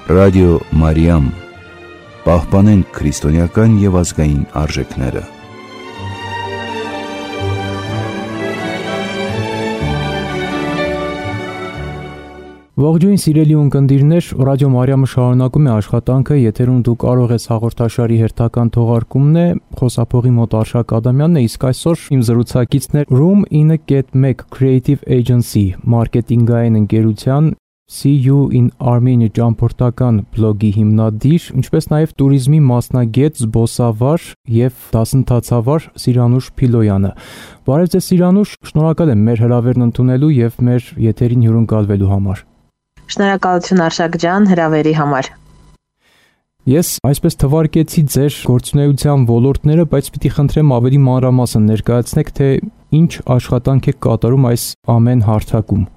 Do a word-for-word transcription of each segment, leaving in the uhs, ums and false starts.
Ռադիո Մարիամ, պահպանենք քրիստոնեական և ազգային արժեքները։ Ողջույն սիրելի ունկնդիրներ, Ռադիո Մարիամը շարունակում է աշխատանքը, եթերում դու կարող ես հաղորդաշարի հերթական թողարկումն է, խոսափողի մոտ Արշակ Ադամյանն է, իսկ այսօր իմ զրուցակիցն է Room in a Get Mac Creative Agency մարքեթինգային ընկերության See You in Armenia ճամփորդական բլոգի հիմնադիր, ինչպես նաև տուրիզմի մասնագետ, զբոսավար և դասընթացավար Սիրանուշ Փիլոյանը։ Բարև ձեզ Սիրանուշ, շնորհակալ եմ մեր հրավերն ընդունելու և մեր եթերին հյուրընկալվելու համար։ Շնորհակալություն Արշակ ջան, հրավերի համար։ Ես այսպես թվարկեցի ձեր գործունեության ոլորտները, բայց պիտի խնդրեմ ավելի մանրամասն ներկայացնեք, թե ինչ աշխատանք եք կատարում այս ամեն հարթակում։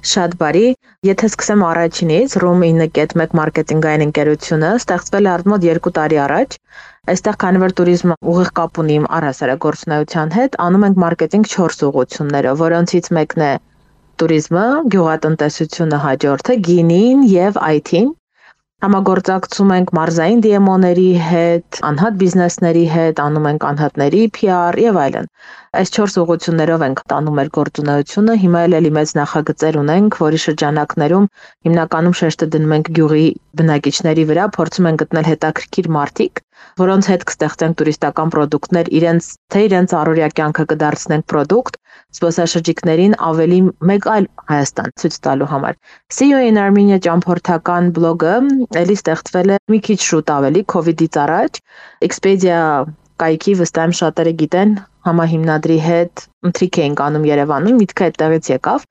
Շատ բարի, եթե սկսեմ առաջինից, Room in a Get Mac մարքեթինգային ընկերությունը ստեղծվել է արդյոք երկու տարի առաջ։ Այստեղ քանի որ տուրիզմը ուղիղ կապ ունի իմ առհասարակ գործունեության հետ, անում ենք մարքեթինգ չորս ուղղություններով, որոնցից մեկն է տուրիզմը, գյուղատնտեսությունը, հաջորդը գինին եւ այ թին։ Համագործակցում ենք մարզային դի էմ օ-ների հետ, անհատ բիզնեսների հետ, անում ենք անհատների փի ար եւ այլն։ Այս չորս ուղղություններով ենք տանում մեր գործունեությունը, հիմա էլ մեծ նախագծեր ունենք, որի շրջանակներում հիմնականում շեշտը դնում ենք գյուղի բնակիչների վրա, փորձում ենք գտնել հետաքրքիր մարդիկ, որոնց հետ կստեղծենք տուրիստական պրոդուկտներ, իրենց թե իրենց առօրյա կյանքը կդարձնենք պրոդուկտ, զբոսաշրջիկներին ավելի մեկ այլ Հայաստան ցույց տալու համար։ See You in Armenia ճամփորդական բլոգը էլի ստեղծվել է մի քիչ շուտ ավելի քովիդից առաջ, Expedia կայքի վստահ եմ շատերը գիտեն, համահիմնադրի հետ ընթրիք էինք անում Երևանում, միտքը այդտեղից եկավ։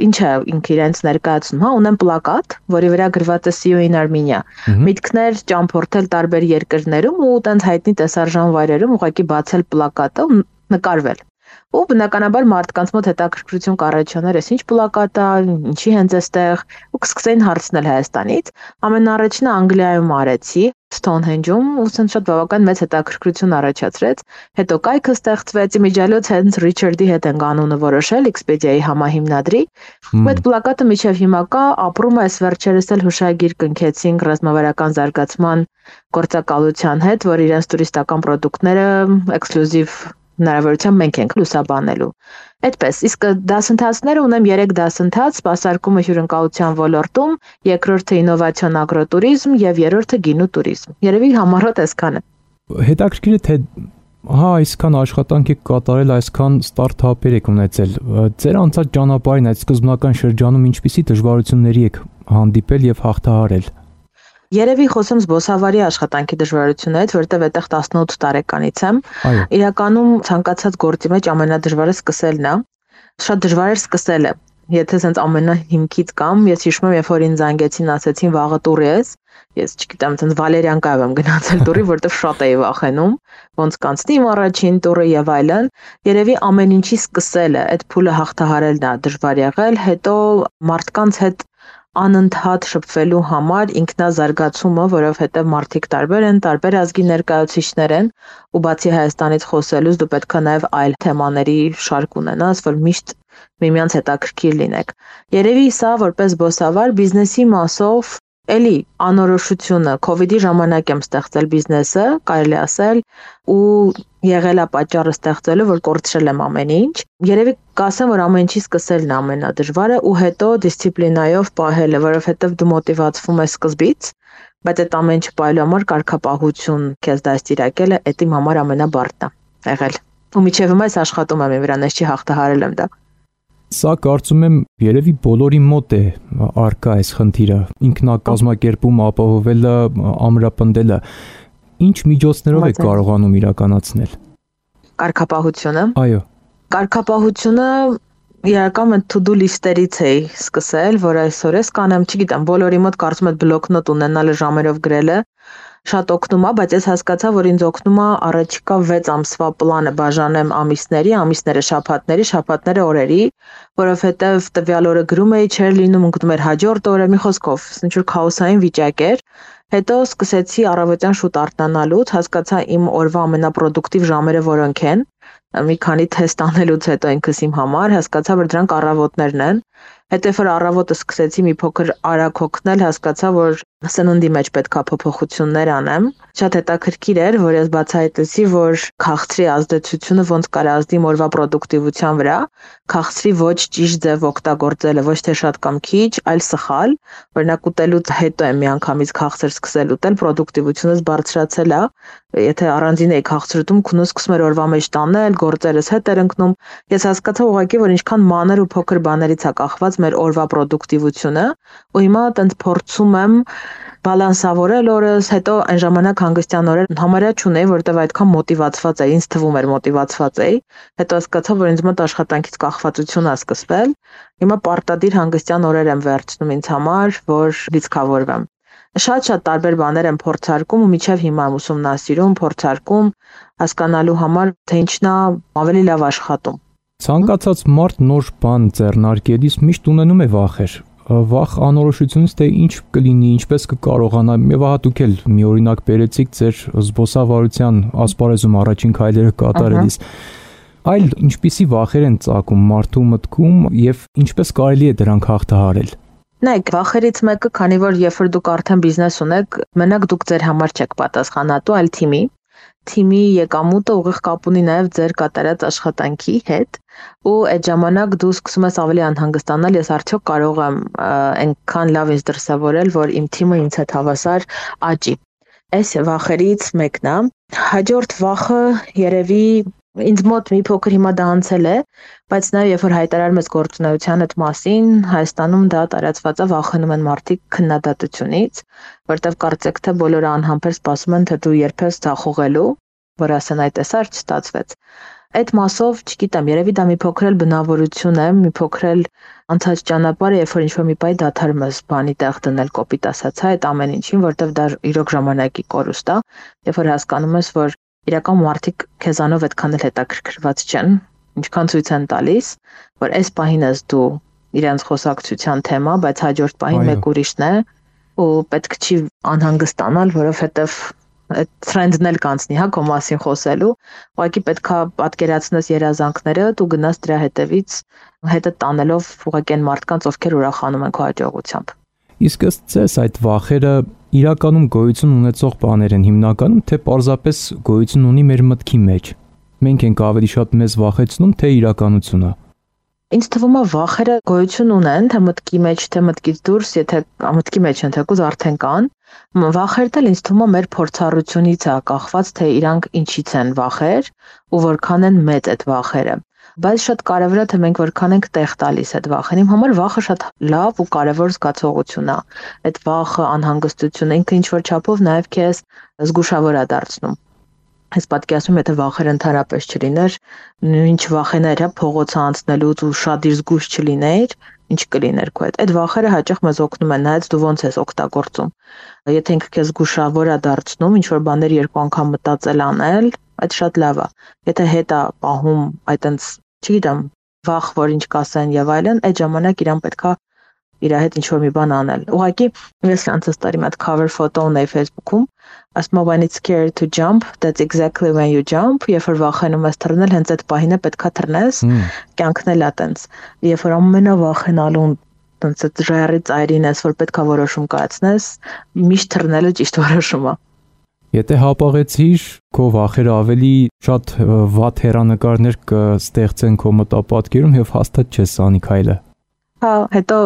Ինչ է ինքը իրենց ներկայացնում, հա, ունեմ պլակատ, որի վրա գրված է See You in Armenia։ Միտքներ ճամփորդել տարբեր երկրներում ու տենց հայտնի տեսարժան վայրերում ուղղակի բացել պլակատը ու նկարվել։ Ու բնականաբար մարդկանց մոտ հետաքրքրություն կառաջանար, ես ինչ պլակատ է, ինչի հենց էստեղ, ու կսկսեին հարցնել Հայաստանից։ Ամենաառաջինը Անգլիայում արեցի, Stonehenge-ում, ու ցենց շատ բավական մեծ հետաքրքրություն առաջացրեց։ Հետո կայքը ստեղծվեց, իմիջիալոց հենց Ռիչարդի հետ ենք անունը որոշել, Expedia-ի համահիմնադրի։ Այդ պլակատը միջև հիմա կա, ապրում է, այս վերջերս էլ հուշագիր կնքեցինք ռազմավարական զարգացման գործակալության հետ, որ իրենց տուրիստական պրոդուկտները էքսկլյուզիվ հնարավորությամբ մենք ենք լուսաբանելու։ Այդպես, իսկ դասընթացները ունեմ երեք դասընթաց, սպասարկումը հյուրընկալության ոլորտում, երկրորդը ինովացիոն ագրոտուրիզմ եւ երրորդը գինու տուրիզմ։ Երևի համառոտ այսքանը։ Հետաքրքիր է, թե հա այսքան աշխատանք եք կատարել, այսքան ստարտափեր եք ունեցել։ Ձեր անցած ճանապարհին այդ սկզբնական շրջանում ինչպիսի դժվարությունների եք հանդիպել եւ հաղթահարել։ Երևի խոսեմ զբոսավարի աշխատանքի դժվարություններից, որովհետև այդտեղ տասնութ տարեկանից եմ։ Իրականում ցանկացած գործի մեջ ամենադժվարը սկսելն է։ Շատ դժվար էր սկսելը։ Եթե sense ամենահիմքից կամ, ես հիշում եմ, երբ որ ինձ զանգեցին, ասեցին վաղը տուրի ես, ես չգիտեմ, sense Վալերիանկայով եմ գնացել տուրի, որովհետև շատ էի վախենում, ոնց կանցնի իմ առաջին տուրը եւ այլն։ Երևի ամեն ինչի սկսելը, այդ փուլը հաղթահարելն է դժվար եղել, հետո մարդկանց հետ անընդհատ շփվելու համար ինքնազարգացումը, որովհետև մարդիկ տարբեր են, տարբեր ազգի ներկայացուցիչներ են, ու բացի Հայաստանից խոսելուց դու պետք է նաև այլ թեմաների շարք ունենաս, որ միշտ միմյանց հետաքրքիր լինեք։ Երևի սա որպես զբոսավար բիզնեսի մասով էլի անորոշությունը, քովիդի ժամանակ եմ ստեղծել բիզնեսը, կարելի ասել, ու եղել է պատճառը ստեղծելու, որ կորցրել եմ ամեն ինչ։ Երևի կասեմ, որ ամեն ինչի սկսելն է ամենադժվարը ու հետո դիսցիպլինայով պահելը, որովհետև դու մոտիվացվում ես սկզբից, բայց այդ ամեն ինչ պահելու համար կարգապահություն քեզ դաստիարակելը այդ իմ համար ամենաբարդն է եղել։ Ու միջև հիմա ես աշխատում եմ վրան, ես չի հաղթահարել եմ դա։ Սա կարծում եմ երևի բոլորի մոտ է արկա այս խնդիրը, ինքնակազմակերպում ապահովելը, ամրապնդելը։ Ինչ միջոցներով եք կարողանում իրականացնել։ Կարգապահությունը։ Այո։ Կարգապահությունը իրականում to-do list-երից էի սկսել, որ այսօր ես կանեմ, չգիտեմ, բոլորի մոտ կարծում եմ բլոկնոտ ունենալը ժամերով գրելը շատ օգնում է, բայց ես հասկացա, որ ինձ օգնում է առաջիկա վեց ամսվա պլանը բաժանեմ ամիսների, ամիսները շաբաթների, շաբաթները օրերի, որովհետև տվյալ օրը գրում էի, չէր լինում, ընկնում էր հաջորդ օրը, մի խոսքով, ինչ-որ քաոսային վիճակ էր։ Հետո սկսեցի առավոտյան շուտ արթնանալուց, հասկացա իմ օրվա ամենապրոդուկտիվ ժամերը որոնք են։ Մի քանի թեստ անելուց հետո ինքս իմ համար հասկացա, որ դրանք առավոտներն են։ Հետո որ առավոտը սկսեցի մի փոքր արագ հոգնել, հասկացա, որ սննդի մեջ պետքա փոփոխություններ անեմ։ Շատ հետաքրքիր էր, որ ես բացահայտեցի, որ քաղցրի ազդեցությունը ոնց կարող ազդի օրվա պրոդուկտիվության վրա, քաղցրի ոչ ճիշտ ձև օգտագործելը, ոչ թե շատ կամ քիչ, այլ սխալ։ Օրինակ ուտելուց հետո եմ միանգամից քաղցր սկսել ուտել, պրոդուկտիվությունս բարձրացել է։ Եթե առանձին էի քաղցր ուտում, քունը սկսում էր օրվա մեջ տանել, գործերս հետ էր ընկնում։ Ես հասկացա ուղղակի, որ ինչքան մանր ու փոքր բաներից է կախված մեր օրվա պրոդուկտիվությունը, ու հիմա տենց փորձում եմ բալանսավորել օրս, հետո այն ժամանակ հանգստյան օրեր համարյա չունեի, որովհետև այդքան մոտիվացված էի, ինձ թվում էր մոտիվացված էի, հետո հասկացա, որ ինձ մոտ աշխատանքից կախվածություն է սկսվել։ Հիմա պարտադիր հանգստյան օրեր եմ վերցնում ինձ համար, որ լիցքավորվեմ։ Շատ-շատ տարբեր բաներ եմ փորձարկում ու մինչև հիմա եմ ուսումնասիրում, փորձարկում հասկանալու համար, թե ինչն է ավելի լավ աշխատում։ Ցանկացած մարդ նոր բան ձեռնարկելիս միշտ ունենում է վախեր։ Վախ անորոշությունից թե ինչ կլինի, ինչպես կկարողանա, եւ ահա դուք էլ մի օրինակ բերեցիք ձեր զբոսավարության ասպարեզում առաջին քայլերը կատարելիս։ Այլ ինչպիսի վախեր են ծագում մարդու մտքում եւ ինչպես կարելի է դրանք հաղթահարել։ Նայեք, վախերից մեկը, քանի որ երբ որ դուք արդեն բիզնես ունեք, մենակ դուք ձեր համար չեք պատասխանատու, այլ թիմի։ Թիմի եկամուտը ուղիղ կապ ունի նաև ձեր կատարած աշխատանքի հետ, ու այդ ժամանակ դու սկսում ես ավելի անհանգստանալ, ես արդյոք կարող եմ այնքան լավ ինձ դրսևորել, որ իմ թիմը ինձ հետ հավասար աճի։ Այս վախերից մեկն է։ Հաջորդ վախը երևի ինձ մոտ մի փոքր հիմա դա անցել է, բայց նաև երբ որ հայտարարում ես գործունեության այդ մասին, Հայաստանում դա տարածված է, վախենում են մարդիկ քննադատությունից, որտեղ կարծեք թե բոլորը անհամբեր սպասում են, թե դու երբ ես ձախողելու, որ ասեն այդ էսար չստացվեց։ Այդ մասով, չգիտեմ, երևի դա մի փոքր էլ բնավորություն է, մի փոքր էլ անցած ճանապարհը, երբ որ ինչ-որ մի բայ դադարում ես բանի տեղ դնել, կոպիտ ասած, այդ ամեն ինչին, որտեղ դա իրոք ժամանակի կորուստ է, երբ որ հասկանում ես, որ իրական մարդիկ քեզանով այդքան էլ հետաքրքրված չեն, ինչքան ցույց են տալիս, որ այս պահին ես դու իրենց խոսակցության թեմա, բայց հաջորդ պահին մեկ ուրիշն է, ու պետք չի անհանգստանալ, որովհետև այդ թրենդն էլ կանցնի, հա, քո մասին խոսելու, ուղղակի պետքա պատկերացնես երազանքները, դու գնաս դրա հետևից, հետը տանելով ուղղակի այն մարդկանց, ովքեր ուրախանում են քո հաջողությամբ։ Իսկ ըստ ձեզ այդ վախերը իրականում գոյություն ունեցող բաներ են հիմնականում, թե պարզապես գոյություն ունի մեր մտքի մեջ։ Մենք ենք ավելի շատ մեզ վախեցնում, թե իրականությունը։ Ինձ թվում է վախերը գոյություն ունեն, թե մտքի մեջ, թե մտքից դուրս, եթե մտքի մեջ են, թեկուզ արդեն կան։ Վախերն էլ ինձ թվում է մեր փորձառությունից է կախված, թե իրանք ինչից են վախեր ու որքան են մեծ այդ վախերը։ Բայց շատ կարևոր է, թե մենք որքան ենք տեղ տալիս այդ վախին։ Իմ համար վախը շատ լավ ու կարևոր զգացողություն է։ Այդ վախը, անհանգստությունը ինքը ինչ-որ չափով նաև քեզ զգուշավոր է դարձնում։ Ես պատկերացնում եմ, եթե վախերը ընդհանրապես չլիներ, ինչ վախեներ, հա, փողոցը անցնելուց ու շատ իր զգուշ չլիներ, ինչ կլիներ քո հետ։ Այդ վախերը հաճախ մեզ օգնում են, նայած դու ոնց ես օգտագործում։ Եթե ինքը քեզ զգուշավոր է դարձնում, ինչ որ բաներ երկու անգամ մտածել անել, այդ շատ լավ է։ Եթե հետ է պահում այտենց, չգիտեմ, վախ, որ ինչ կասեն եւ այլն, այդ ժամանակ իրան պետքա իր հետ ինչ որ մի բան անել։ Ուղղակի ես անցած տարի մի հատ cover photo ունեի Facebook-ում, ասում եմ when it's scary to jump, that's exactly when you jump, երբ որ վախենում ես թռնել, հենց այդ պահին է պետքա թռնես, կյանքն էլ է տենց։ Երբ որ ամենավախենալուն տենց այդ ժայռի ծայրին ես, որ պետքա որոշում կայացնես, միշտ թռնելը ճիշտ որոշում է։ Եթե հապաղեցիր, քո վախերը ավելի շատ վատ հեռանկարներ կստեղծեն քո մտապատկերում եւ հաստատ չես անի քայլը։ Հա, հետո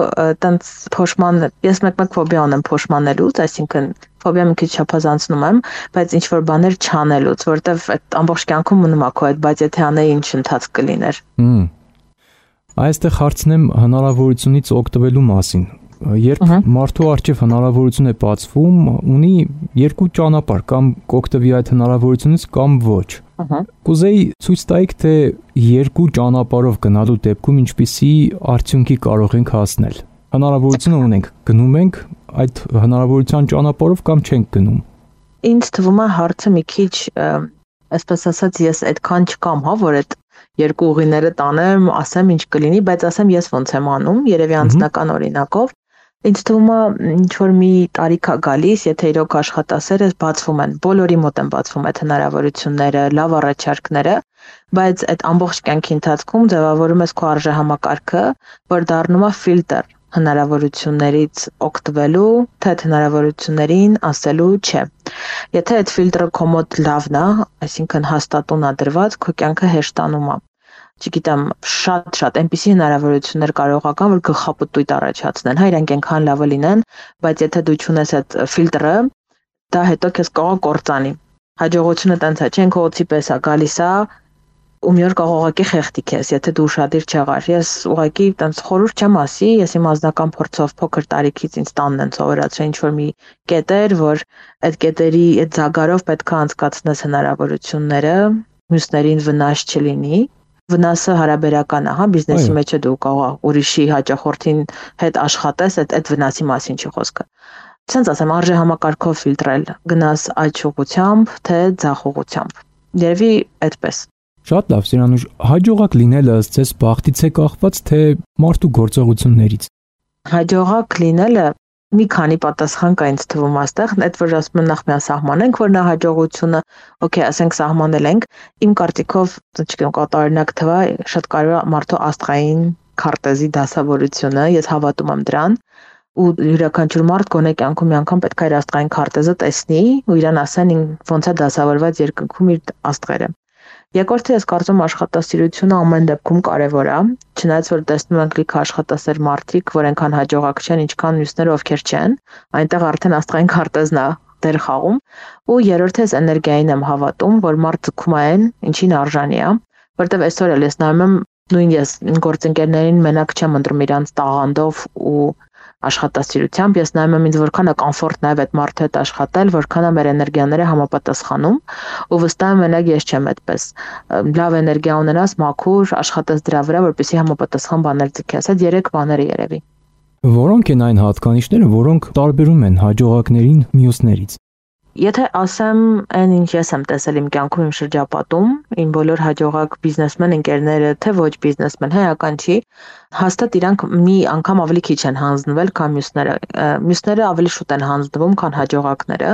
տենց փոշման, ես մեկ-մեկ ֆոբիա ունեմ փոշմանելուց, այսինքն ֆոբիա մի քիչ չափազանցնում եմ, բայց ինչ որ բաներ չանելուց, որտեվ այդ ամբողջ կյանքում մնում է քո այդ, բայց եթե անեի ինչ ընթացք կլիներ։ Հմ։ Այստեղ հարցնեմ հնարավորությունից օգտվելու մասին։ Երբ մարդու առջև հնարավորություն է բացվում, ունի երկու ճանապարհ, կամ կօգտվի այդ հնարավորությունից կամ ոչ։ Կուզեի ցույց տայիք, թե երկու ճանապարհով գնալու դեպքում ինչպիսի արդյունքի կարող ենք հասնել։ Հնարավորությունը ունենք, գնում ենք այդ հնարավորության ճանապարհով կամ չենք գնում։ Ինձ թվում է հարցը մի քիչ, այսպես ասած, ես այդքան չկամ, հա, որ այդ երկու ուղիները տանեմ, ասեմ ինչ կլինի, բայց ասեմ ես ոնց եմ անում, երևի անձնական օրինակով։ Ինձ թվում է ինչ որ մի տարիք է գալիս, եթե իրոք աշխատասերը բացվում են, բոլորի մոտ են բացվում այդ հնարավորությունները, լավ առաջարկները, բայց այդ ամբողջ կյանքի ընթացքում ձևավորում ես քո արժեհամակարգը, որ դառնում է ֆիլտր հնարավորություններից օգտվելու, թե այդ հնարավորություններին ասելու չէ։ Եթե այդ ֆիլտրը քո մոտ լավն է, այսինքն հաստատուն է դրված, քո կյանքը հեշտանում է։ Չգիտեմ, շատ-շատ այնպիսի հնարավորություններ կարող ական, որ գլխապտույտ առաջացնեն, հա, իրանք այնքան լավը լինեն, բայց եթե դու չունես այդ ֆիլտրը, դա հետո քեզ կարող կործանի։ Հաջողությունը տենց է, չեն քո պես է գալիս է, ու մի օր կարող ուղղակի խեղդի քեզ, եթե դու ուշադիր չեղար։ Ես ուղղակի տենց խորհուրդ չեմ ասի, ես իմ անձնական փորձով փոքր տարիքից ինձ տանն են սովորացրել ինչ որ մի կետեր, որ այդ կետերի այդ զագարով պետք է անցկացնես հնարավորությունները, մյուսներին վնաս չլինի։ Վնասը հարաբերական է, հա, բիզնեսի մեջ է դու կարող ուրիշի հաճախորդին հետ աշխատես, այդ այդ վնասի մասին չի խոսքը։ Ցենց ասեմ, արժեհամակարգով ֆիլտրել, գնաս այդ ուղղությամբ, թե ձախ ուղղությամբ։ Երևի այդպես։ Շատ լավ, Սիրանուշ, հաջողակ լինելը ըստ ձեզ բախտից է կախված, թե մարդու գործողություններից։ Հաջողակ լինելը մի քանի պատասխան կա ինձ թվում այստեղ, այդ որ ասում են նախ միասահմանենք, որ նա հաջողությունը, օքեյ, ասենք սահմանել ենք, իմ կարծիքով, չգիտեմ, կատարօրինակ թվա, շատ կարևոր է մարդու աստղային քարտեզի դասավորությունը, ես հավատում եմ դրան, ու յուրաքանչյուր մարդ գոնե կյանքում մի անգամ պետք է իր աստղային քարտեզը տեսնի ու իրան ասեն ոնց է դասավորված երկնքում իր աստղերը։ Երկրորդը ես կարծում աշխատասիրությունը ամեն դեպքում կարևոր է, չնայած որ տեսնում ենք լիքը աշխատասեր մարդիկ, որ այնքան հաջողակ չեն, ինչքան մյուսները ովքեր չեն, այնտեղ արդեն աստղային քարտեզն է դեր խաղում, ու երրորդը ես էներգիային եմ հավատում, որ մարդ ձգում է այն, ինչին արժանի է, որտեղ այսօր էլ ես նայում եմ, նույն ես գործընկերներին մենակ չեմ ընտրում իրանց տաղանդով ու աշխատասիրությամբ, ես նայում եմ ինձ որքան է կոմֆորտ նաև այդ մարդու հետ աշխատել, որքան է մեր էներգիաները համապատասխանում, ու վստահ եմ մենակ ես չեմ այդպես։ Լավ էներգիա ունենաս, մաքուր, աշխատես դրա վրա, որպեսզի համապատասխան բաներ ձգես։ Այդ երեք բաները երևի։ Որոնք են այն հատկանիշները, որոնք տարբերում են հաջողակներին մյուսներից։ Եթե ասեմ այն ինչ ես եմ տեսել իմ կյանքում իմ շրջապատում, իմ բոլոր հաջողակ բիզնեսմեն ընկերները, թե ոչ բիզնեսմեն, հայական չի, հաստատ իրանք մի անգամ ավելի քիչ են հանձնվել, քան մյուսները։ Մյուսները ավելի շուտ են հանձնվում, քան հաջողակները։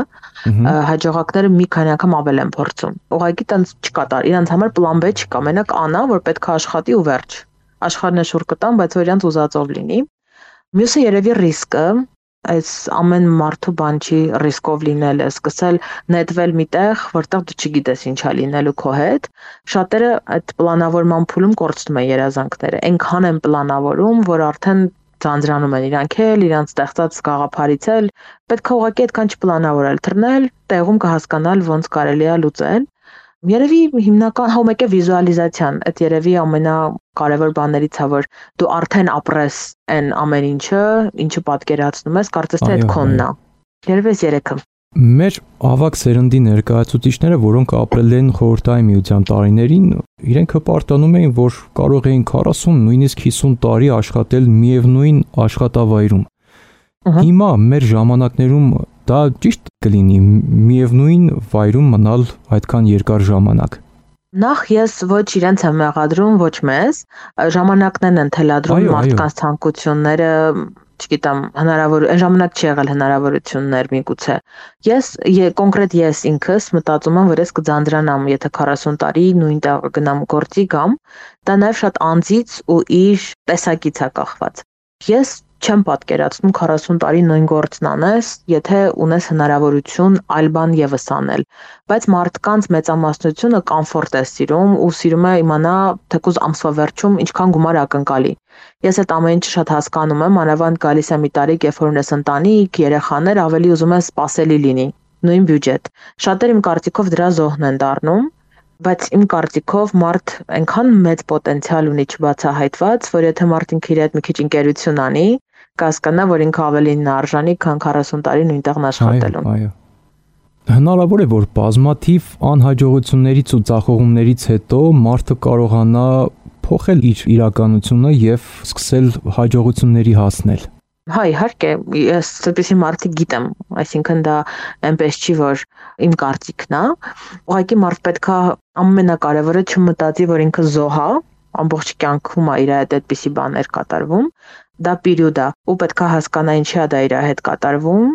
Հաջողակները մի քանի անգամ ավել են փորձում։ Ուղղակի տենց չկա, իրանց համար պլան B չկա, մենակ Ա-ն է, որ պետք է աշխատի ու վերջ։ Աշխարհն է շուռ կտան, բայց որ իրանց ուզածով լինի։ Մյուսը երևի ռիսկը, այս ամեն մարդու բան չի ռիսկով լինելը, սկսել նետվել միտեղ, որտեղ դու չգիտես ինչա լինելու քո հետ։ Շատերը այդ պլանավորման փուլում կորցնում են երազանքները, այնքան են պլանավորում, որ արդեն ձանձրանում են իրանք էլ, իրանց ստեղծած գաղափարից էլ, պետք է ուղղակի այդքան չպլանավորել, թռնել, տեղում կհասկանալ ոնց կարելի է լուծել։ Երևի հիմնական հա մեկ է վիզուալիզացիան, այդ երևի ամենակարևոր բաներից է, որ դու արդեն ապրես այն ամեն ինչը, ինչը պատկերացնում ես, կարծես թե այդ քոնն է։ Երևի այս երեքը։ Մեր ավագ սերնդի ներկայացուցիչները, որոնք ապրել են խորհրդային միության տարիներին, իրենք հպարտանում էին, որ կարող էին քառասուն, նույնիսկ հիսուն տարի աշխատել միևնույն աշխատավայրում։ Հիմա մեր ժամանակներում դա ճիշտ կլինի միևնույն վայրում մնալ այդքան երկար ժամանակ։ Նախ ես ոչ իրենց եմ մեղադրում, ոչ մեզ, ժամանակներն են թելադրում մարդկանց ցանկությունները, չգիտեմ, հնարավոր այն ժամանակ չի եղել հնարավորություններ միգուցե։ Ես կոնկրետ ես ինքս մտածում եմ, որ ես կձանձրանամ, եթե քառասուն տարի նույն տեղը գնամ գործի գամ, դա նաև շատ անձից ու իր տեսակից է կախված։ Ես չեմ պատկերացնում քառասուն տարի նույն գործն անես, եթե ունես հնարավորություն այլ բան եւս անել, բայց մարդկանց մեծամասնությունը կոմֆորտ է սիրում ու սիրում է իմանա թեկուզ ամսվա վերջում ինչքան գումար ակնկալի։ Ես այդ ամեն ինչը շատ հասկանում եմ, անավանդ գալիս է մի տարիք, երբ որ ունես ընտանիք, երեխաներ, ավելի ուզում ես սպասելի լինի, նույն բյուջետ։ Շատերը իմ կարծիքով դրա զոհն են դառնում, բայց իմ կարծիքով մարդ այնքան մեծ պոտենցիալ ունի չբացահայտված, որ եթե մարդ ինքը իր հետ մի քիչ ընկերություն անի, կհասկանա, որ ինքը ավելին արժանի, քան քառասուն տարի նույնտեղն աշխատելուն։ Այո, այո։ Հնարավոր է, որ բազմաթիվ անհաջողություններից ու ձախողումներից հետո մարդը կարողանա փոխել իր իրականությունը եւ սկսել հաջողությունների հասնել։ Հա, իհարկե, ես այդպիսի մարդիկ գիտեմ, այսինքն դա այնպես չի, որ իմ կարծիքն է։ Ուղղակի մարդ պետք է ամենակարևորը չմտածի, որ ինքը զոհ է, ամբողջ կյանքում է իր հետ այդպիսի բաներ կատարվում, դա պերիոդ է, ու պետք է հասկանա ինչի է դա իր հետ կատարվում,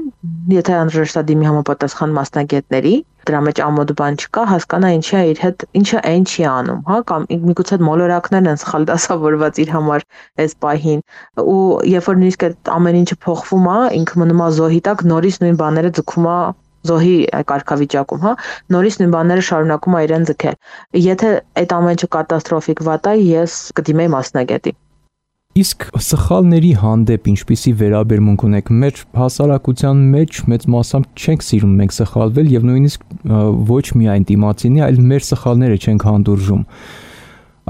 եթե անհրաժեշտ է դիմի համապատասխան մասնագետների, դրա մեջ ամոթ բան չկա, հասկանա ինչի է իր հետ, ինչը այն չի անում, հա, կամ միգուցե մոլորակներն են սխալ դասավորված իր համար այս պահին, ու երբ որ նույնիսկ այդ ամեն ինչը փոխվում է, ինքը մնում է զոհի տակ, նորից նույն բաները ձգում է զոհի կարգավիճակում, հա, նորից նույն բաները շարունակում է իրեն ձգել։ Եթե այդ ամեն ինչը կատաստրոֆիկ վատ է, ես կդիմեի մասնագետի։ Իսկ սխալների հանդեպ ինչպիսի վերաբերմունք ունեք։ Մեր հասարակության մեջ մեծ մասամբ չենք սիրում մենք սխալվել եւ նույնիսկ ոչ միայն դիմացինի, այլ մեր սխալները չենք հանդուրժում։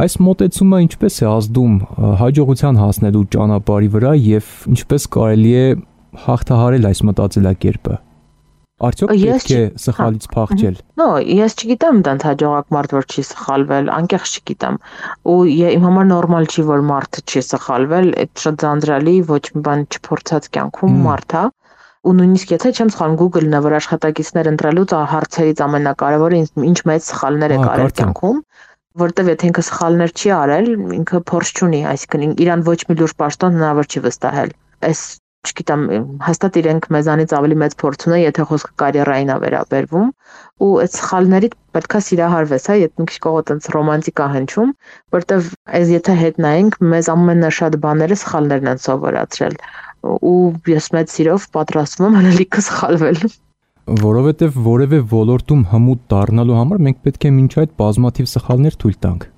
Այս մոտեցումը ինչպես է ազդում հաջողության հասնելու ճանապարհի վրա եւ ինչպես կարելի է հաղթահարել այս մտածելակերպը։ Արդյոք պետք է սխալից փախչել։ Նո, ես չգիտեմ դրանց հաջողակ մարդ որ չի սխալվել, անկեղծ չգիտեմ։ Ու իմ համար նորմալ չի որ մարդը չի սխալվել, այդ շատ ձանձրալի, ոչ մի բան չփորձած կյանքում մարդ է։ Ու նույնիսկ եթե չեմ սխալվում, Google-ն է որ աշխատակիցներ ընտրելուց հարցերից ամենակարևորը ինչ մեծ սխալներ է կարել կյանքում, որտեվ եթե ինքը սխալներ չի արել, ինքը փորձ չունի, այսինքն իրան ոչ մի լուրջ պաշտոն հնարավոր չի վստահել։ Այս չգիտեմ, հաստատ իրենք մեզանից ավելի մեծ փորձ ունեն, եթե խոսքը կարիերային է վերաբերվում, ու այդ սխալներից պետքա սիրահարվես, հա, եթե մի քիչ կողոտ այնց ռոմանտիկա հնչում, որտեվ այս եթե հետ նայենք, մեզ ամենաշատ բաները սխալներն են սովորացրել, ու ես մեծ սիրով պատրաստվում եմ հնալիքը սխալվել։ Որովհետև որևէ ոլորտում հմուտ դառնալու համար մենք պետք է մինչ այդ բազմաթիվ սխալներ թույլ տանք։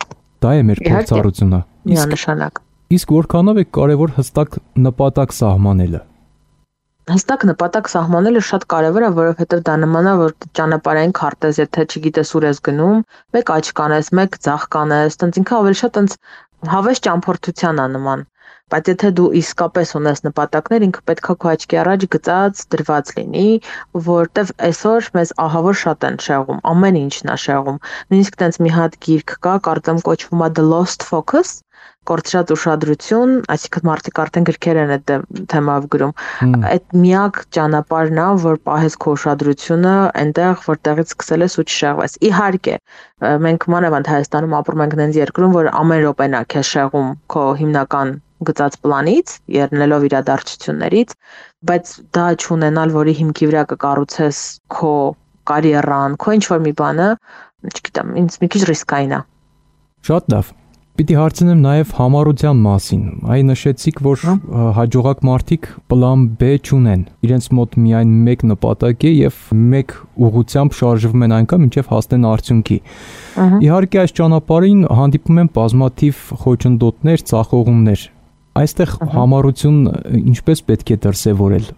Դա է մեր փորձառությունը։ Միանշանակ։ Իսկ որքանով է կարևոր հստակ նպատակ սահմանելը։ Հստակ նպատակ սահմանելը շատ կարևոր է, որովհետև դա նման է, որ ճանապարհային քարտեզ, եթե չգիտես ուր ես գնում, մեկ աչ կանես, մեկ ձախ կանես, տենց ինքը ավելի շատ տենց հավես ճամփորդության է նման։ Բայց եթե դու իսկապես ունես նպատակներ, ինքը պետքա քո աչքի առաջ գծած դրված լինի, որտեվ այսօր մեզ ահավոր շատ են շեղում, ամեն ինչն է շեղում։ Նույնիսկ տենց մի հատ գիրք կա, կարծեմ կոչվում է The Lost Focus, կորցրած ուշադրություն, այսինքն մարդիկ արդեն գրքեր են այդ թեմայով գրում։ Այդ միակ ճանապարհն է, որ պահես քո ուշադրությունը այնտեղ, որտեղից սկսել ես ու չշեղվես։ Իհարկե, մենք մանավանդ Հայաստանում ապրում ենք այնց երկրում, որ ամեն րոպեն է քեզ շեղում քո հիմնական գծած պլանից, ելնելով իրադարձություններից, բայց դա չունենալ, որի հիմքի վրա կկառուցես քո կարիերան, քո ինչ-որ մի բանը, չգիտեմ, ինձ մի քիչ ռիսկային է։ Շատ լավ։ Պիտի հարցնեմ նաև համառության մասին։ Այ նշեցիք, որ հաջողակ մարդիկ պլան B չունեն։ Իրենց մոտ միայն մեկ նպատակ է եւ մեկ ուղղությամբ շարժվում են այնքան, մինչեւ հասնեն արդյունքի։ Իհարկե այս ճանապարհին հանդիպում են բազմաթիվ խոչընդոտներ, ծախողումներ։ Այստեղ համառություն ինչպես պետք է դրսևորել։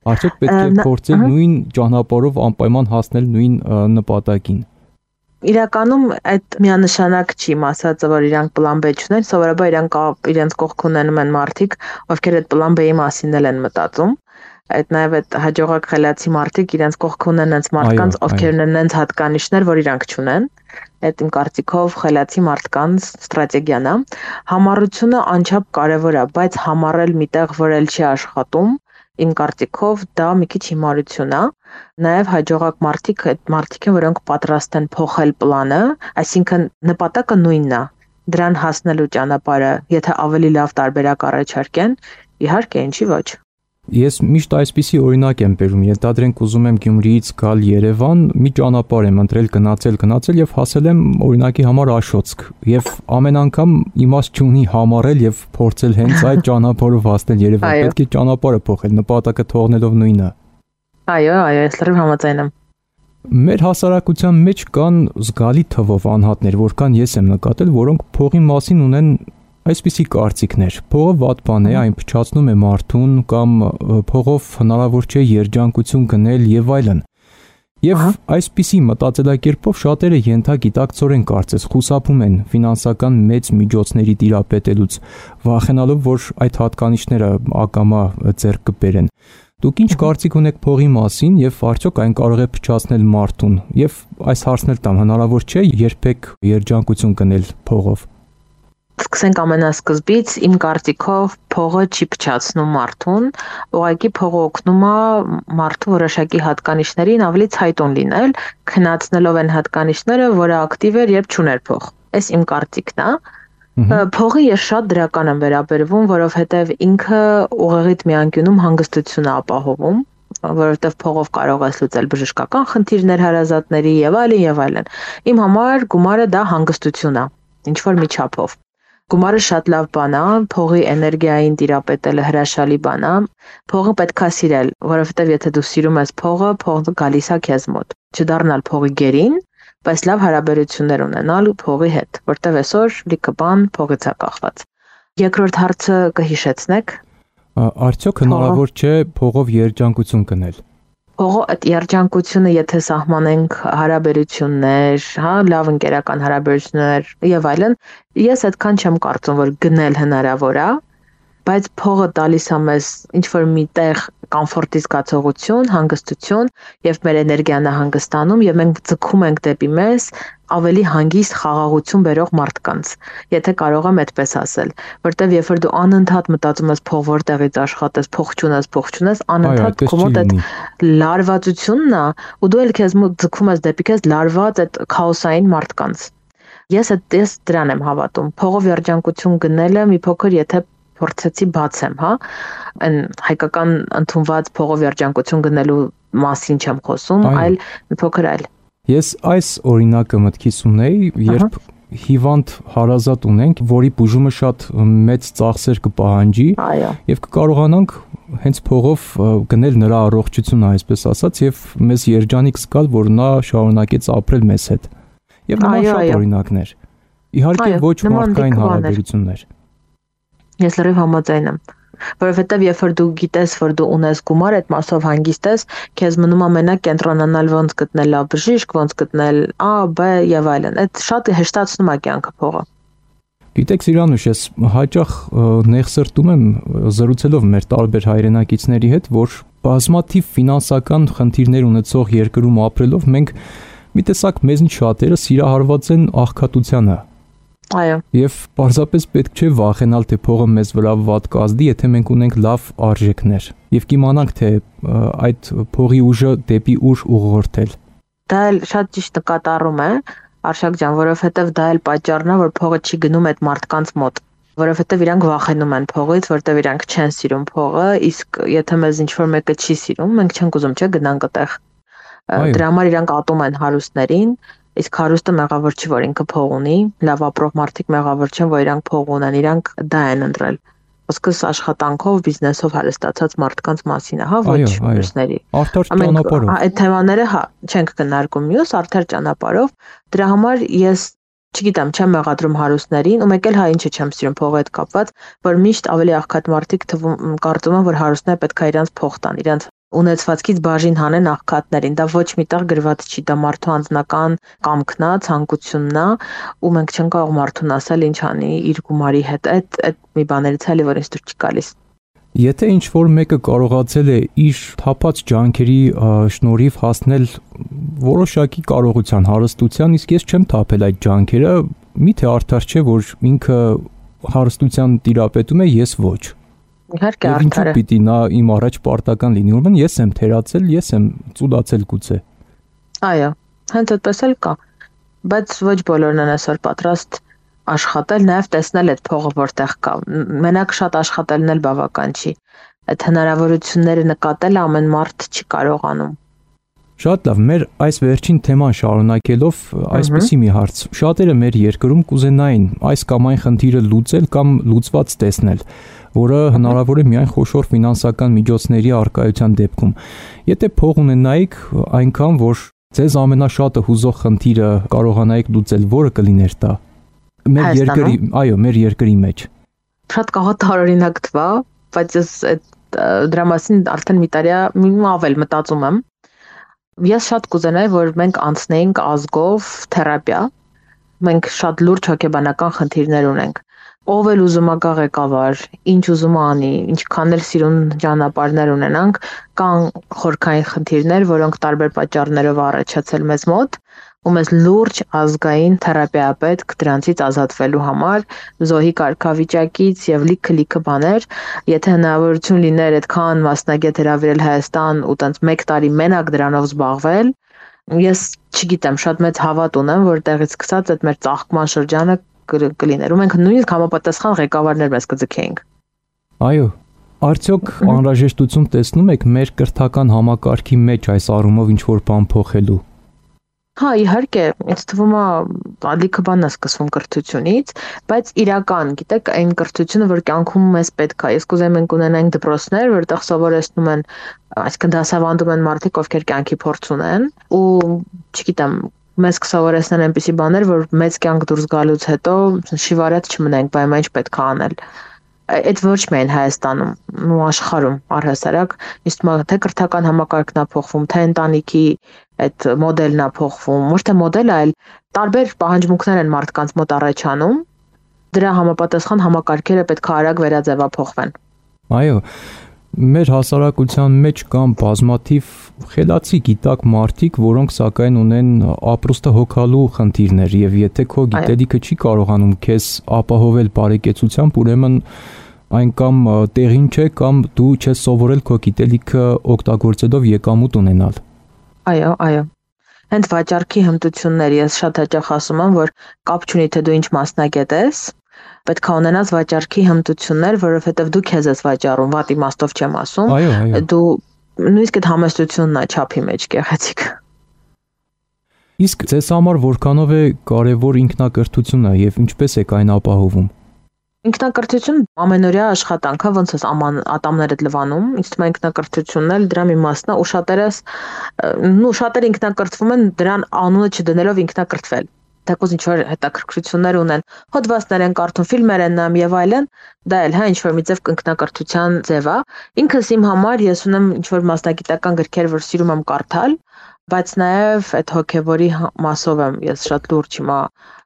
Արդյոք պետք է փորձել նույն ճանապարհով անպայման հասնել նույն նպատակին։ Իրականում այդ միանշանակ չի ասածը, որ իրանք պլան B չունեն, սովորաբար իրանք իրենց կողք ունենում են մարդիկ, ովքեր այդ պլան B-ի մասին են մտածում։ Այդ նաև այդ հաջողակ խելացի մարդիկ իրենց կողք ունեն այնց մարդկանց, ովքեր ունեն այնց հատկանիշներ, որ իրանք չունեն։ Այդ իմ կարծիքով խելացի մարդկանց ստրատեգիան է։ Համառությունը անչափ կարևոր է, բայց համառել միտեղ, որ էլ չի աշխատում, իմ կարծիքով դա մի քիչ հիմարություն է։ Նաև հաջողակ մարդիկ այդ մարդիկ են, որոնք պատրաստ են փոխել պլանը, այսինքն նպատակը նույնն է։ Դրան հասնելու ճանապարհը, եթե ավելի լավ տարբերակ առաջարկեն, իհարկե, ինչի ոչ։ Ես միշտ այսպիսի օրինակ եմ բերում, ենթադրենք ուզում եմ Գյումրիից գալ Երևան, մի ճանապարհ եմ ընտրել, գնացել, գնացել եւ հասել եմ օրինակի համար Աշոցք, եւ ամեն անգամ իմաստ չունի համառել եւ փորձել հենց այդ ճանապարհով հասնել Երևան, պետք է ճանապարհը փոխել, նպատակը թողնելով նույնը։ Այո, այո, ես լրիվ համաձայն եմ։ Մեր հասարակության մեջ կան զգալի թվով անհատներ, որքան ես եմ նկատել, որոնք փողի մասին ունեն այսպիսի կարծիքներ։ Փողը վատ բան է, այն փչացնում է մարդուն կամ փողով հնարավոր չէ երջանկություն գնել եւ այլն։ Եվ այսպիսի մտածելակերպով շատերը ենթագիտակցորեն կարծես խուսափում են ֆինանսական մեծ միջոցների տիրապետելուց, վախենալով, որ այդ հատկանիշները ակամա ձեռք կբերեն։ Դուք ինչ կարծիք ունեք փողի մասին եւ արդյոք այն կարող է փչացնել մարդուն։ Եվ այս հարցն էլ տամ, հնարավոր չէ երբեք երջանկություն գնել փողով։ Սկսենք ամենասկզբից, իմ կարծիքով փողը չի փչացնում մարդուն, ուղղակի փողը օգնում է մարդու որոշակի հատկանիշներին ավելի ցայտուն լինել, քննացնելով այն հատկանիշները, որը ակտիվ էր, երբ չուներ փող։ Այս իմ կարծիքն է։ Փողը ես շատ դրական եմ վերաբերվում, որովհետև ինքը ուղեղիդ մի անկյունում հանգստություն է ապահովում, որովհետև փողով կարող ես լուծել բժշկական խնդիրներ հարազատների եւ այլն եւ այլն։ Իմ համար գումարը դա հանգստություն է, ինչ որ մի չափով։ Գումարը շատ լավ բան է, փողի էներգիային տիրապետելը հրաշալի բան է։ Փողը պետքա սիրել, որովհետև եթե դու սիրում ես փողը, փողը գալիս է քեզ մոտ։ Չդառնալ փողի գերին, բայց լավ հարաբերություններ ունենալ փողի հետ, որտեղ այսօր լիքը բան փողից է կախված։ Երկրորդ հարցը կհիշեցնեք։ Արդյոք հնարավոր չէ փողով երջանկություն գնել։ Փողը այդ երջանկությունը, եթե սահմանենք հարաբերություններ, հա, լավ ընկերական հարաբերություններ եւ այլն, ես այդքան չեմ կարծում, որ գնել հնարավոր է, բայց փողը տալիս է մեզ ինչ որ մի տեղ կոմֆորտի զգացողություն, հանգստություն եւ մեր էներգիան է հանգստանում եւ մենք ձգում ենք դեպի մեզ ավելի հանգիստ խաղաղություն բերող մարդկանց, եթե կարող եմ այդպես ասել, որտեվ երբ որ դու անընդհատ մտածում ես փող որտեղից աշխատես, փող չունես, փող չունես, անընդհատ քո մոտ այդ լարվածությունն է, ու դու էլ քեզ մոտ ձգում ես դեպի քեզ լարված այդ քաոսային մարդկանց։ Ես այդպես դրան եմ հավատում։ Փողով երջանկություն գնելը մի փոքր եթե փորձեցի բացեմ, հա, այն հայկական ընդունված փողով երջանկություն գնելու մասին չեմ խոսում, այլ մի փոքր այլ։ Ես այս օրինակը մտքիս ունեի, երբ հիվանդ հարազատ ունենք, որի բուժումը շատ մեծ ծախսեր կպահանջի, եւ կկարողանանք հենց փողով գնել նրա առողջությունը, այսպես ասած, եւ մեզ երջանիկ զգալ, որ նա շարունակեց ապրել մեզ հետ։ Եվ նման շատ օրինակներ։ Իհարկե ոչ մարդկային հարաբերություններ։ Ես լրիվ համաձայն եմ, որովհետև երբ որ դու գիտես, որ դու ունես գումար, այդ մասով հանգիստ ես, քեզ մնում է մենակ կենտրոնանալ ոնց գտնել լավ բժիշկ, ոնց գտնել A, B եւ այլն։ Այդ շատ հեշտացնում է կյանքը փողը։ Գիտեք, Սիրանուշ, ես հաճախ նեղսրտում եմ զրուցելով մեր տարբեր հայրենակիցների հետ, որ բազմաթիվ ֆինանսական խնդիրներ ունեցող երկրում ապրելով մենք մի տեսակ մեզնից շատերը սիրահարված են աղքատությանը։ Այո։ Եվ պարզապես պետք չէ վախենալ, թե փողը մեզ վրա վատ կազդի, եթե մենք ունենք լավ արժեքներ եւ կիմանանք, թե այդ փողի ուժը դեպի ուր ուղղորդել։ Դա էլ շատ ճիշտ նկատառում է, Արշակ ջան, որովհետեւ դա էլ պատճառն է, որ փողը չի գնում այդ մարդկանց մոտ, որովհետեւ իրանք վախենում են փողից, որտեւ իրանք չեն սիրում փողը, իսկ եթե մեզ ինչ-որ մեկը չի սիրում, մենք չենք ուզում, չէ, գնանք այդտեղ։ Դրա համար իրանք ատում են հարուստներին։ Իսկ հարուստը մեղավոր չի, որ ինքը փող ունի, լավ ապրող մարդիկ մեղավոր չեն, որ իրանք փող ունեն, իրանք դա են ընտրել։ Ոսկս աշխատանքով, բիզնեսով հարստացած մարդկանց մասին է, հա, ոչ մյուսների։ Արդար ճանապարհով։ Այդ թեմաները, հա, չենք քննարկում մյուս արդար ճանապարհով։ Դրա համար ես չգիտեմ, չեմ մեղադրում հարուստներին, ու մեկ էլ հա ինչը չեմ սիրում փողի հետ կապված, որ միշտ ավելի աղքատ մարդիկ թվում կարծում են, որ հարուստները պետք է իրանց փող տան, իրանց ունեցվածքից բաժին հանեն աղքատներին, դա ոչ միտեղ գրված չի, դա մարդու անձնական կամքն է, ցանկությունն է, ու մենք չենք կարող մարդուն ասել ինչ անի իր գումարի հետ, այդ այդ մի բաներից էլի որ ինձ դուր չի գալիս։ Եթե ինչ որ մեկը կարողացել է իր թափած ջանքերի շնորհիվ հասնել որոշակի կարողության, հարստության, իսկ ես չեմ թափել այդ ջանքերը, միթե արդար չէ, որ ինքը հարստության տիրապետում է, ես ոչ։ Իհարկե արդար է։ Պիտի նա իմ առաջ պարտական լինի, ուրեմն ես եմ թերացել, ես եմ ծուլացել գուցե։ Այո, հենց այդպես էլ կա, բայց ոչ բոլորն են այսօր պատրաստ աշխատել, նաև տեսնել այդ փողը որտեղ կա։ Մենակ շատ աշխատելն էլ բավական չի։ Այդ հնարավորությունները նկատել ամեն մարդ չի կարողանում։ Շատ լավ, մեր այս վերջին թեման շարունակելով այսպեսի մի հարց։ Շատերը մեր երկրում կուզենային այս կամ այն խնդիրը լուծել կամ լուծված տեսնել, որը հնարավոր է միայն խոշոր ֆինանսական միջոցների առկայության դեպքում։ Եթե փող ունենայիք այնքան, որ ձեզ ամենաշատը հուզող խնդիրը կարողանայիք լուծել, որը կլիներ դա։ Մեր երկրի, այո, մեր երկրի մեջ։ Շատ կարող տարօրինակ թվա, բայց ես դրա մասին արդեն մի տարի ավել մտածում եմ։ Ես շատ կուզենայի, որ մենք անցնեինք ազգով թերապիա։ Մենք շատ լուրջ հոգեբանական խնդիրներ ունենք։ Ով էլ ուզում է գա ղեկավար, ինչ ուզում է անի, ինչքան էլ սիրուն ճանապարհներ ունենանք, կան խորքային խնդիրներ, որոնք տարբեր պատճառներով առաջացել մեզ մոտ, ու մեզ լուրջ ազգային թերապիա պետք դրանցից ազատվելու համար, զոհի կարգավիճակից եւ լիքը-լիքը բաներ, եթե հնարավորություն լիներ այդքան մասնագետ հրավիրել Հայաստան ու տենց մեկ տարի մենակ դրանով զբաղվել, ես չգիտեմ, շատ մեծ հավատ ունեմ, որ տեղից սկսած այդ մեր ծաղկման շրջանը կլիներ ու մենք նույնիսկ համապատասխան ղեկավարներ մեզ կձգեինք։ Այո, արդյոք անհրաժեշտություն տեսնում եք մեր կրթական համակարգի մեջ այս առումով ինչ-որ բան փոխելու։ Հա, իհարկե, ինձ թվում է ալիքը բանն է սկսվում կրթությունից, բայց իրական, գիտեք, այն կրթությունը, որ կյանքում մեզ պետք է։ Ես կուզեմ մենք ունենանք դպրոցներ, որտեղ սովորեցնում են, այսինքն դասավանդում են մարդիկ, ովքեր կյանքի փորձ ունեն, ու, չգիտեմ, մեզ կսովորեցնեն այնպիսի բաներ, որ մեծ կյանք դուրս գալուց հետո շիվարած չմնենք, բայց ինչ պետք է անել։ Այդ ոչ միայն Հայաստանում, ու աշխարհում առհասարակ, իսկ թե կրթական համակարգն է փոխվում, թե ընտանիքի այդ մոդելն է փոխվում, ոչ թե մոդելը, այլ տարբեր պահանջմունքներ են մարդկանց մոտ առաջանում, դրա համապատասխան համակարգերը պետք է արագ վերաձևափոխվեն։ Այո, մեր հասարակության մեջ կան բազմաթիվ խելացի գիտակ մարդիկ, որոնք սակայն ունեն ապրուստը հոգալու խնդիրներ, եւ եթե քո գիտելիքը չի կարողանում քեզ ապահովել բարեկեցությամբ, ուրեմն այն կամ տեղին չէ, կամ դու չես սովորել քո գիտելիքը օգտագործելով եկամուտ ունենալ։ Այո, այո։ Հենց վաճառքի հմտություններ, ես շատ հաճախ ասում եմ, որ կապ չունի թե դու ինչ մասնագետ ես, պետք է ունենաս վաճառքի հմտություններ, որովհետև դու քեզ ես վաճառում, վատ իմաստով չեմ ասում։ Այո, այո։ Դու նույնիսկ այդ համեստությունն է չափի մեջ գեղեցիկ։ Իսկ ձեզ համար որքանով է կարևոր ինքնակրթությունը եւ ինչպես եք այն ապահովում։ Ինքնակրթություն ամենօրյա աշխատանք է, ոնց ես աման ատամներդ լվանում, ինձ թվում է ինքնակրթությունն էլ դրա մի մասն է, ու շատերս, նու շատերը ինքնակրթվում են դրան անունը չդնելով ինքնակրթվել։ Թեկուզ ինչ-որ հետաքրքրություններ ունեն, հոդվածներ են կարդում, ֆիլմեր են նայում եւ այլն, դա էլ հա ինչ-որ մի ձև ինքնակրթության ձև է։ Ինքս իմ համար ես ունեմ ինչ-որ մասնագիտական գրքեր, որ սիրում եմ կարդալ, բայց նաև այդ հոգևորի մասով եմ ես շատ լուրջ հիմա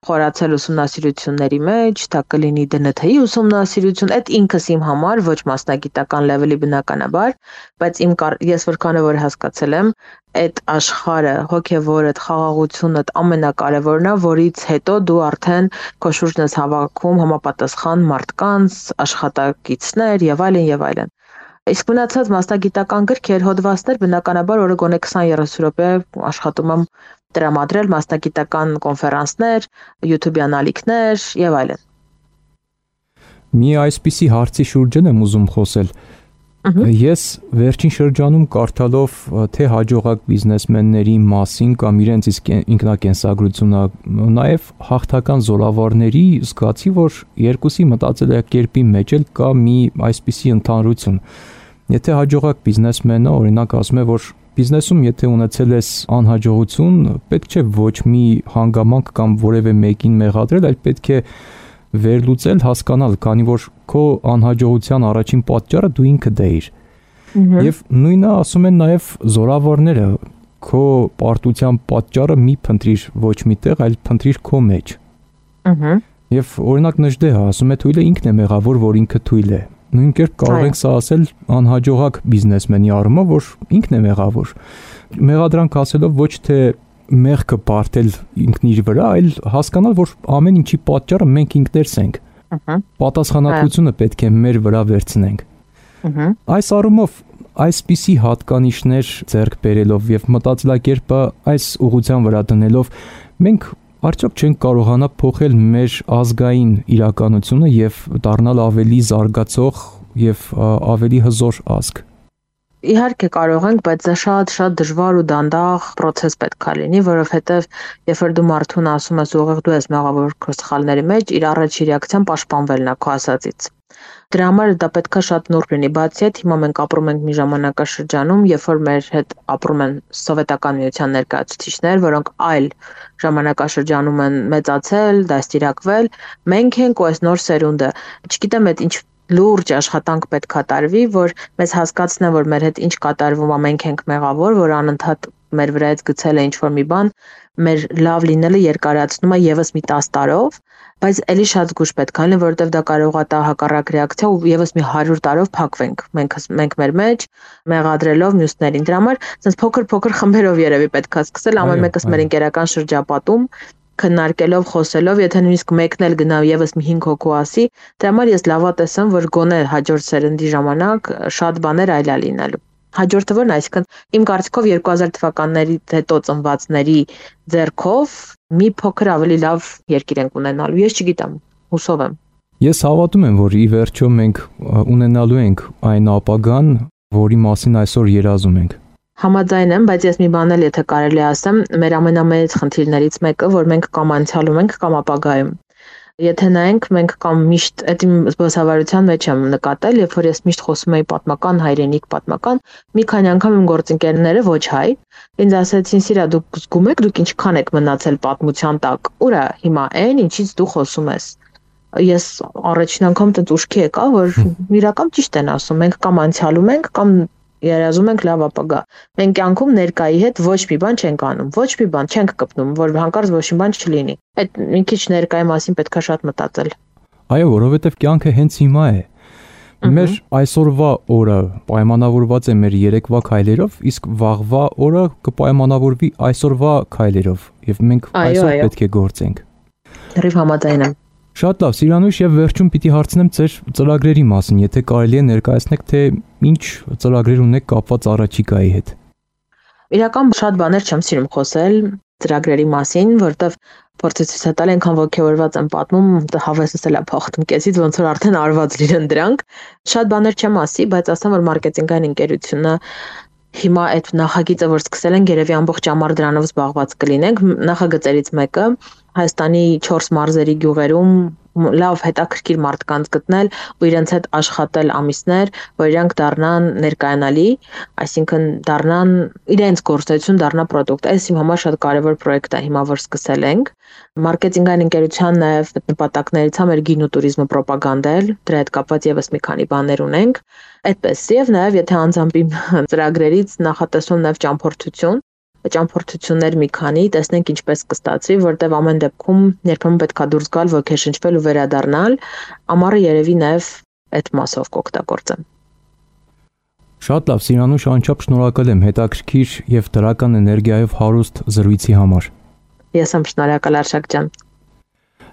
խորացել ուսումնասիրությունների մեջ, դա կլինի դե են թե-ի ուսումնասիրություն, այդ ինքս իմ համար ոչ մասնագիտական լեվելի բնականաբար, բայց իմ ես որքան որ հասկացել եմ, այդ աշխարհը, հոգևորը, խաղաղությունը ամենակարևորն է, որից հետո դու արդեն քո շուրջն ես հավաքում համապատասխան մարդկանց, աշխատակիցներ եւ այլն եւ այլն։ Իսկ մնացած մասնագիտական գրքեր, հոդվածներ բնականաբար օրը գոնե քսան-երեսուն րոպե աշխատում եմ տրամադրել մասնագիտական կոնֆերանսներ, YouTube-յան ալիքներ եւ այլն։ Մի այսպիսի հարցի շուրջն եմ ուզում խոսել։ Ես վերջին շրջանում կարդալով թե հաջողակ բիզնեսմենների մասին կամ իրենց իսկ ինքնակենսագրությունը, նաև հաղթական զորավարների զգացի, որ երկուսի մտածելակերպի մեջ էլ կա մի այսպիսի ընդհանրություն։ Եթե հաջողակ բիզնեսմենը օրինակ ասում է, որ բիզնեսում եթե ունեցել ես անհաջողություն, պետք չէ ոչ մի հանգամանք կամ որևէ մեկին մեղադրել, այլ պետք է վերլուծել, հասկանալ, քանի որ քո անհաջողության առաջին պատճառը դու ինքդ ես։ Եվ նույնը ասում են նաև զորավարները, քո պարտության պատճառը մի փնտրիր ոչ միտեղ, այլ փնտրիր քո մեջ։ Եվ օրինակ Նժդեհը ասում է թույլը ինքն է մեղավոր, որ ինքը թույլ է։ Նույն կերպ կարող ենք սա ասել անհաջողակ բիզնեսմենի առումով, որ ինքն է մեղավոր։ Մեղադրանք ասելով ոչ թե մեղքը բարթել ինքն իր վրա, այլ հասկանալ, որ ամեն ինչի պատճառը մենք ինքներս ենք։ Պատասխանատվությունը պետք է մեր վրա վերցնենք։ Այս առումով այսպիսի հատկանիշներ ձեռք բերելով եւ մտածելակերպը այս ուղղության վրա դնելով մենք արդյոք չենք կարողանա փոխել մեր ազգային իրականությունը եւ դառնալ ավելի զարգացող եւ ավելի հզոր ազգ։ Իհարկե կարող ենք, բայց դա շատ-շատ դժվար ու դանդաղ process պետք է լինի, որովհետև երբ որ դու մարդուն ասում ես ուղիղ դու ես մեղավոր քո սխալների մեջ, իր առաջի ռեակցիան պաշտպանվելն է քո ասածից։ Դրա համար դա պետք է շատ նուրբ լինի, բացի այդ հիմա մենք ապրում ենք մի ժամանակաշրջանում, երբ որ մեր հետ ապրում են սովետական միության ներկայացուցիչներ, որոնք այլ ժամանակաշրջանում են մեծացել, դաստիարակվել, մենք ենք ու այս նոր սերունդը, չգիտեմ այդ ինչ լուրջ աշխատանք պետք է տարվի, որ մեզ հասկացնեն, որ մեր հետ ինչ կատարվում է, մենք ենք մեղավոր, որ անընդհատ մեր վրայից գցել է ինչ-որ մի բան, մեր լավ լինելը երկարացնում է եւս մի տասը տարով, բայց ելի շատ զգուշ պետք է լինի, որովհետեւ դա կարող է տա հակառակ ռեակցիա ու եւս մի հարյուր տարով փակվենք։ Մենք մենք մեր մեջ մեղադրելով մյուսներին։ Դրա համար sense փոքր-փոքր խմբերով երևի պետք է սկսել, ամեն մեկս մեր ընկերական շրջապատում քննարկելով, խոսելով, եթե նույնիսկ մեկն էլ գնա եւս մի հինգ հոգու ասի, դրա համար ես լավատես եմ, որ գոնե հաջորդ սերնդի ժամանակ շատ բաներ այլ է լինելու։ Հաջորդը որն է, այսինքն իմ կարծիքով երկու հազար թվականներից հետո ծնվածների ձեռքով մի փոքր ավելի լավ երկիր ենք ունենալու։ Ես չգիտեմ, հուսով եմ։ Ես հավատում եմ, որ ի վերջո մենք ունենալու ենք այն ապագան, որի մասին այսօր երազում ենք։ Համաձայն եմ, բայց ես մի բան էլ եթե կարելի ասեմ, մեր ամենամեծ խնդիրներից մեկը, որ մենք կամ անցյալում ենք, կամ ապագայում։ Եթե նայենք, մենք կամ միշտ այդ իմ զբոսավարության մեջ եմ նկատել, երբ որ ես միշտ խոսում էի պատմական, հայրենիք պատմական, մի քանի անգամ իմ գործընկերները ոչ հայ, ինձ ասացին՝ «Սիրա, դուք զգում եք, դուք ինչքան եք մնացել պատմության տակ, ուր է հիմա այն, ինչից դու խոսում ես»։ Ես առաջին անգամ տենց ուշքի եկա, որ իրական ճիշտ են ասում, մենք կամ անցյալում ենք, կամ երազում ենք լավ ապագա։ Մենք կյանքում ներկայի հետ ոչ մի բան չենք անում, ոչ մի բան չենք կպնում, որ հանկարծ ոչ մի բան չլինի։ Այդ մի քիչ ներկայի մասին պետք է շատ մտածել։ Այո, որովհետև կյանքը հենց հիմա է։ Մեր այսօրվա օրը պայմանավորված է մեր երեկվա քայլերով, իսկ վաղվա օրը կպայմանավորվի այսօրվա քայլերով, եւ մենք այսօր պետք է գործենք։ Դեռ համաձայն եմ։ Շատ լավ, Սիրանուշ, եւ վերջում պիտի հարցնեմ ձեր ծրագրերի մասին, եթե կարելի է ներկայացնեք, թե ինչ ծրագրեր ունեք կապված առաջիկայի հետ։ Իրական շատ բաներ չեմ սիրում խոսել ծրագրերի մասին, որովհետեւ փորձի ցույց տալ այնքան ողջավորված եմ պատմում, հավեսս էլ է փոխվում կեսից, ոնց որ արդեն արված լինեն դրանք։ Շատ բաներ չեմ ասի, բայց ասեմ, որ մարքեթինգային ընկերությունը հիմա այդ նախագիծը, որ սկսել են, երևի ամբողջ ամառ դրանով զբաղված կլինենք։ Նախագծերից մեկը Հայաստանի չորս մարզերի գյուղերում լավ հետաքրքիր մարդկանց գտնել ու իրենց հետ աշխատել ամիսներ, որ իրանք դառնան ներկայանալի, այսինքն դառնան իրենց գործունեություն դառնա պրոդուկտ։ Այս իմ համար շատ կարևոր պրոյեկտ է հիմա, որ սկսել ենք։ Մարքեթինգային ընկերության նաև նպատակներից է մեր գին ու տուրիզմը պրոպագանդել, դրա հետ կապված եւս մի քանի բաներ ունենք։ Այդպես եւ նաև եթե անձամբ իմ ծրագրերից նախատեսում նաև ճամփորդություն ճամփորդություններ մի քանի, տեսնենք ինչպես կստացվի, որտեվ ամեն դեպքում երբեմն պետք է դուրս գալ, ոգեշնչվել ու վերադառնալ, ամառը երևի նաև այդ մասով կօգտագործեմ։ Շատ լավ, Սիրանուշ, անչափ շնորհակալ եմ հետաքրքիր եւ դրական էներգիայով հարուստ զրույցի համար։ Ես եմ շնորհակալ, Արշակ ջան։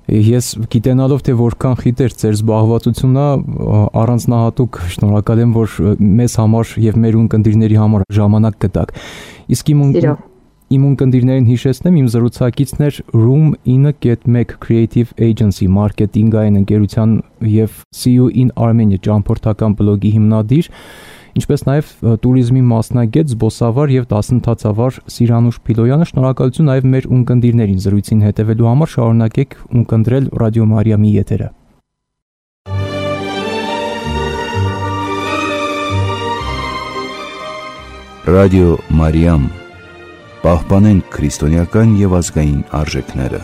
Ես գիտենալով, թե որքան խիտ էր ձեր զբաղվածությունը, առանձնահատուկ շնորհակալ եմ, որ մեզ համար եւ մեր ունկնդիրների համար ժամանակ գտաք։ Իսկ իմ իմ ունկնդիրներին հիշեցնեմ, իմ զրուցակիցն էր Room ինը մեկ Creative Agency մարքեթինգային ընկերության եւ See You in Armenia ճամփորդական բլոգի հիմնադիր, ինչպես նաև տուրիզմի մասնագետ, զբոսավար եւ դասընթացավար Սիրանուշ Փիլոյանը։ Շնորհակալություն նաև մեր ունկնդիրներին զրույցին հետևելու համար, շարունակեք ունկնդրել Ռադիո Մարիամի եթերը։ Ռադիո Մարիամ, պահպանենք քրիստոնեական եւ ազգային արժեքները։